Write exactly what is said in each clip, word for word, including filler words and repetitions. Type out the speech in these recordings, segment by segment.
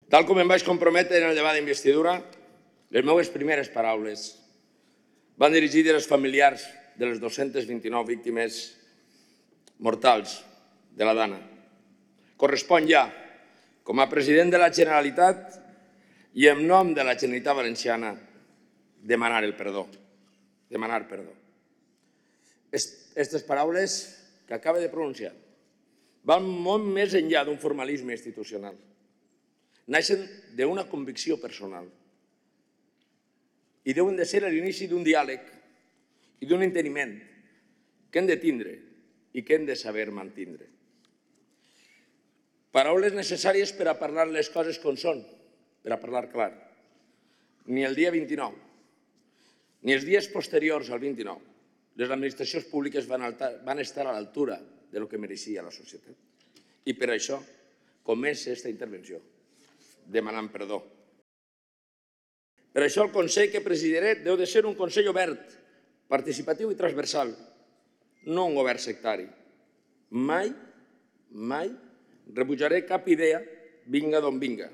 Tal com em vaig comprometre en el debat d'investidura, les meves primeres paraules van dirigides als familiars de les dos-centes vint-i-nou víctimes mortals de la Dana. Correspon ja, com a president de la Generalitat i en nom de la Generalitat Valenciana, demanar el perdó. Demanar perdó. Aquestes paraules que acaba de pronunciar van molt més enllà d'un formalisme institucional. Naixen d'una convicció personal i deuen de ser l'inici d'un diàleg i d'un enteniment que hem de tindre i que hem de saber mantindre. Paraules necessàries per a parlar les coses com són, per a parlar clar. Ni el dia vint-i-nou, ni els dies posteriors al vint-i-nou, les administracions públiques van estar a l'altura del que mereixia la societat. I per això comença aquesta intervenció demanant perdó. Per això el Consell que presidiré deu de ser un Consell obert, participatiu i transversal, no un govern sectari. Mai, mai rebutjaré cap idea, vinga d'on vinga.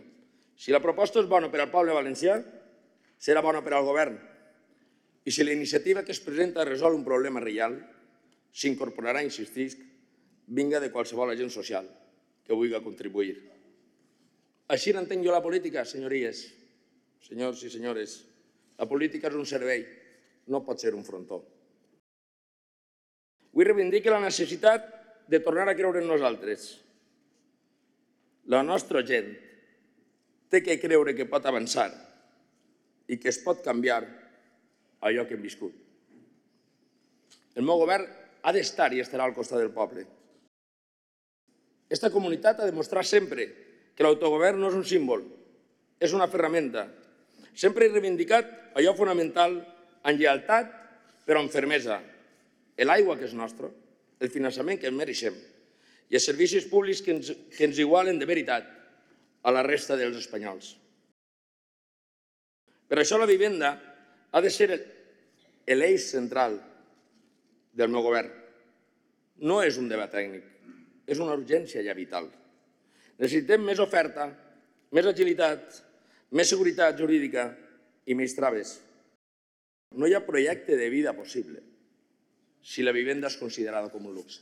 Si la proposta és bona per al poble valencià, serà bona per al govern. I si la iniciativa que es presenta resol un problema real, s'incorporarà, insistisc, vinga de qualsevol agent social que vulgui contribuir. Així n'entenc jo la política, senyories, senyors i senyores. La política és un servei, no pot ser un frontó. Vull reivindicar la necessitat de tornar a creure en nosaltres. La nostra gent té que creure que pot avançar i que es pot canviar allò que hem viscut. El meu govern ha d'estar i estarà al costat del poble. Aquesta comunitat ha demostrat sempre que l'autogovern no és un símbol, és una ferramenta. Sempre he reivindicat allò fonamental amb lleialtat però amb fermesa. L'aigua que és nostra, el finançament que ens mereixem i els servicis públics que ens igualen de veritat a la resta dels espanyols. Per això la vivenda ha de ser l'eix central del meu govern. No és un debat tècnic, és una urgència ja vital. Necessitem més oferta, més agilitat, més seguretat jurídica i més traves. No hi ha projecte de vida possible si la vivenda és considerada com un luxe.